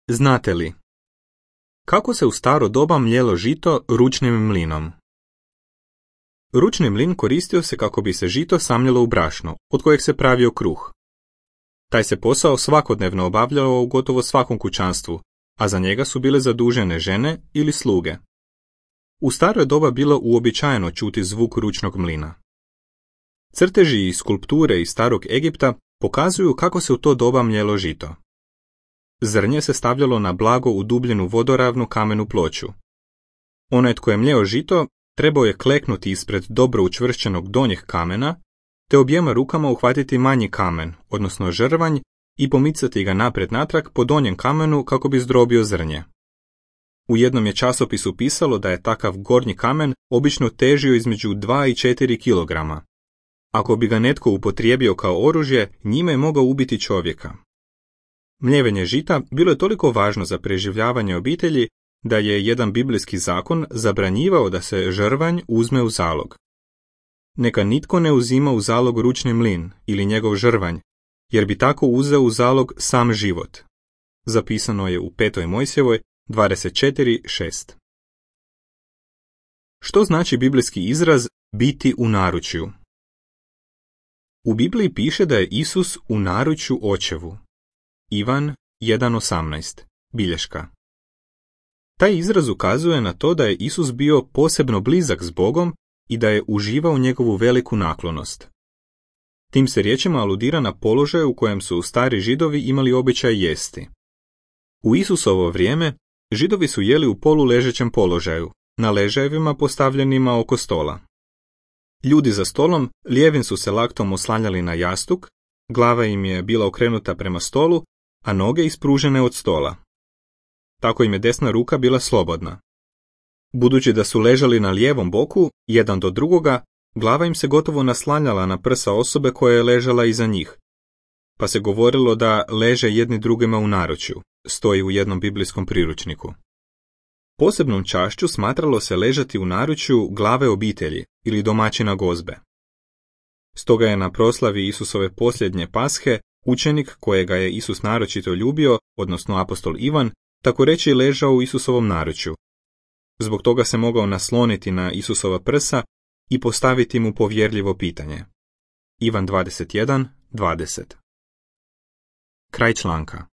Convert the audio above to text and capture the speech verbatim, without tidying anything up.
Znate li kako se u staro doba mljelo žito ručnim mlinom? Ručni mlin koristio se kako bi se žito samljelo u brašno, od kojeg se pravio kruh. Taj se posao svakodnevno obavljao u gotovo svakom kućanstvu, a za njega su bile zadužene žene ili sluge. U staro doba bilo uobičajeno čuti zvuk ručnog mlina. Crteži i skulpture iz starog Egipta pokazuju kako se u to doba mljelo žito. Zrnje se stavljalo na blago udubljenu vodoravnu kamenu ploču. Onaj tko je mljeo žito trebao je kleknuti ispred dobro učvršćenog donjeg kamena, te objema rukama uhvatiti manji kamen, odnosno žrvanj, i pomicati ga naprijed natrag po donjem kamenu kako bi zdrobio zrnje. U jednom je časopisu pisalo da je takav gornji kamen obično težio između dva i četiri kilograma. Ako bi ga netko upotrijebio kao oružje, njime je mogao ubiti čovjeka. Mljevenje žita bilo je toliko važno za preživljavanje obitelji da je jedan biblijski zakon zabranjivao da se žrvanj uzme u zalog. Neka nitko ne uzima u zalog ručni mlin ili njegov žrvanj, jer bi tako uzeo u zalog sam život. Zapisano je u petoj Mojsijevoj dvadeset četiri šest. Što znači biblijski izraz biti u naručju? U Bibliji piše da je Isus u naručju očevu. Ivan jedan osamnaest, bilješka. Taj izraz ukazuje na to da je Isus bio posebno blizak s Bogom i da je uživao njegovu veliku naklonost. Tim se riječima aludira na položaj u kojem su stari Židovi imali običaj jesti. U Isusovo vrijeme Židovi su jeli u poluležećem položaju, na ležajevima postavljenima oko stola. Ljudi za stolom lijevim su se laktom oslanjali na jastuk, glava im je bila okrenuta prema stolu, a noge ispružene od stola. Tako im je desna ruka bila slobodna. Budući da su ležali na lijevom boku, jedan do drugoga, glava im se gotovo naslanjala na prsa osobe koja je ležala iza njih. Pa se govorilo da leže jedni drugima u naručju, stoji u jednom biblijskom priručniku. Posebnom čašću smatralo se ležati u naručju glave obitelji ili domaćina gozbe. Stoga je na proslavi Isusove posljednje pashe učenik kojega je Isus naročito ljubio, odnosno apostol Ivan, tako reći ležao u Isusovom naručju. Zbog toga se mogao nasloniti na Isusova prsa i postaviti mu povjerljivo pitanje. Ivan dvadeset jedan dvadeset. Kraj članka.